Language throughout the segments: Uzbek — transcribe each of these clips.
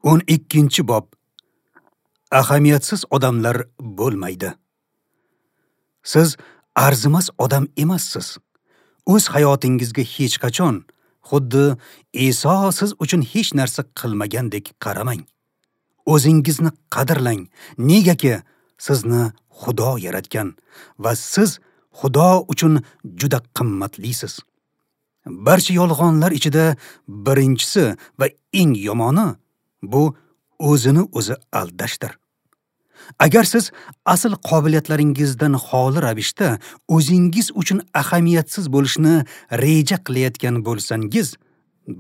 12-bob. Ahamiyatsiz odamlar bo'lmaydi. Siz arzimas odam emassiz. O'z hayotingizga hech qachon xuddi Iso siz uchun hech narsa qilmagandek qaramang. O'zingizni qadrlang. Negaki sizni Xudo yaratgan va siz Xudo uchun juda qimmatlisiz. Barcha yolg'onlar ichida birinchisi va eng yomoni bu o'zini o'zi aldashdir. Agar siz asl qobiliyatlaringizdan xoli ravishda o'zingiz uchun ahamiyatsiz bo'lishni reja qilayotgan bo'lsangiz,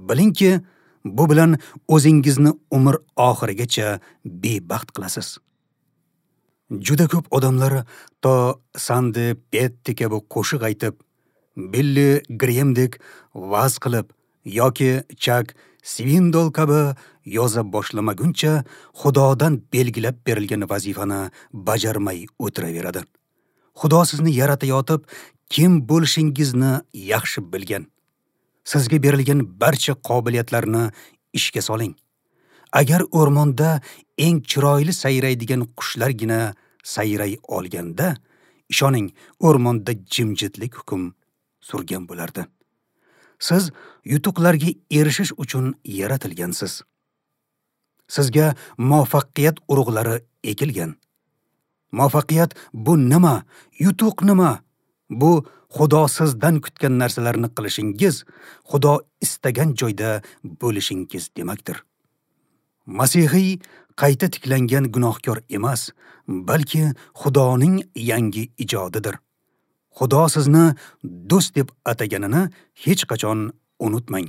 bilingki, bu bilan o'zingizni umr oxirigacha bebaxt qilasiz. Juda ko'p odamlar to Sandi Petti kabi qo'shiq aytib, Billi Gremdek va'z qilib yoki Chak Svindol kabi yoza boshlamaguncha Xudodan belgilab berilgan vazifani bajarmay o'tiraveradi. Xudo sizni yaratayotib, kim bo'lishingizni yaxshi bilgan. Sizga berilgan barcha qobiliyatlarni ishga soling. Agar o'rmonda eng chiroyli sayraydigan qushlargina sayray olganda, ishoning, o'rmonda jimjitlik hukm surgan bo'lardi. Siz yutuqlarga erishish uchun yaratilgansiz. Sizga muvaffaqiyat urug'lari ekilgan. Muvaffaqiyat bu nima? Yutuq nima? Bu Xudo sizdan kutgan narsalarni qilishingiz, Xudo istagan joyda bo'lishingiz demakdir. Masihiy qayta tiklangan gunohkor emas, balki Xudoning yangi ijodidir. Xudo sizni do'st deb ataganini hech qachon unutmang.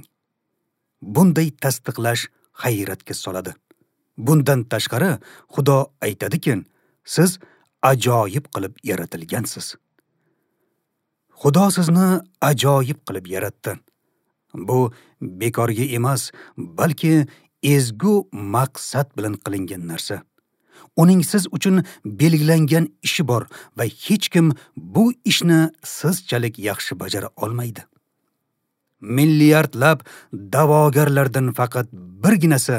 Bunday tasdiqlash hayratga soladi. Bundan tashqari, Xudo aytadiki, siz ajoyib qilib yaratilgansiz. Xudo sizni ajoyib qilib yaratdi. Bu bekorga emas, balki ezgu maqsad bilan qilingan narsa. Uning siz uchun belgilangan ishi bor va hech kim bu ishni sizchalik yaxshi bajara olmaydi. Milliardlab da'vogarlardan faqat birginasi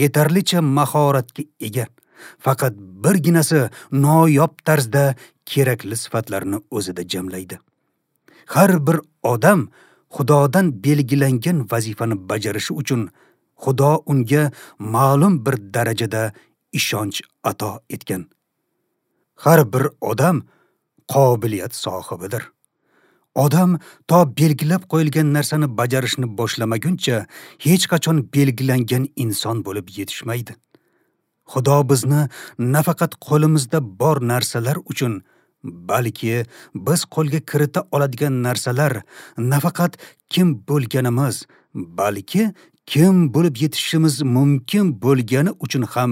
yetarlicha mahoratga ega, faqat birginasi noyob tarzda kerakli sifatlarni o'zida jamlaydi. Har bir odam Xudodan belgilangan vazifani bajarishi uchun Xudo unga ma'lum bir darajada ishonch ato etgan. Har bir odam qobiliyat sohibidir. Odam to belgilab qo'yilgan narsani bajarishni boshlamaguncha hech qachon belgilangan inson bo'lib yetishmaydi. Xudo bizni nafaqat qo'limizda bor narsalar uchun, balki biz qo'lga kirita oladigan narsalar, nafaqat kim bo'lganimiz, balki kim bo'lib yetishimiz mumkin bo'lgani uchun ham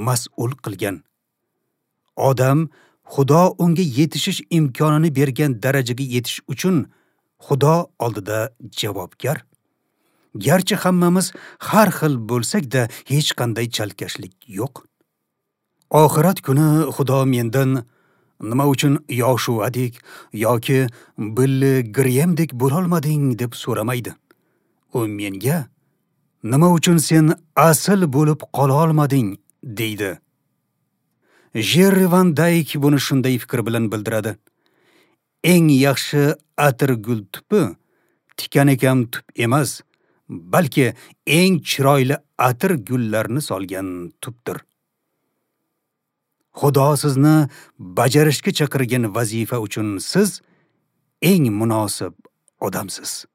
mas'ul qilgan. Odam Xudo unga yetishish imkonini bergan darajaga yetish uchun Xudo oldida javobgar. Garchi hammamiz har xil bo'lsak-da, hech qanday chalkashlik yo'q. Oxirat kuni Xudo mendan nima uchun Yoshuadek yoki Billi Gremdek bo'lolmading deb so'ramaydi. U menga nima uchun sen asl bo'lib qola olmading deydi. Jerri Van Dayk buni shunday fikr bilan bildiradi. Eng yaxshi atirgul tupi tikani kam tup emas, balki eng chiroyli atir gullarni solgan tupdir. Xudo sizni bajarishga chaqirgan vazifa uchun siz eng munosib odamsiz.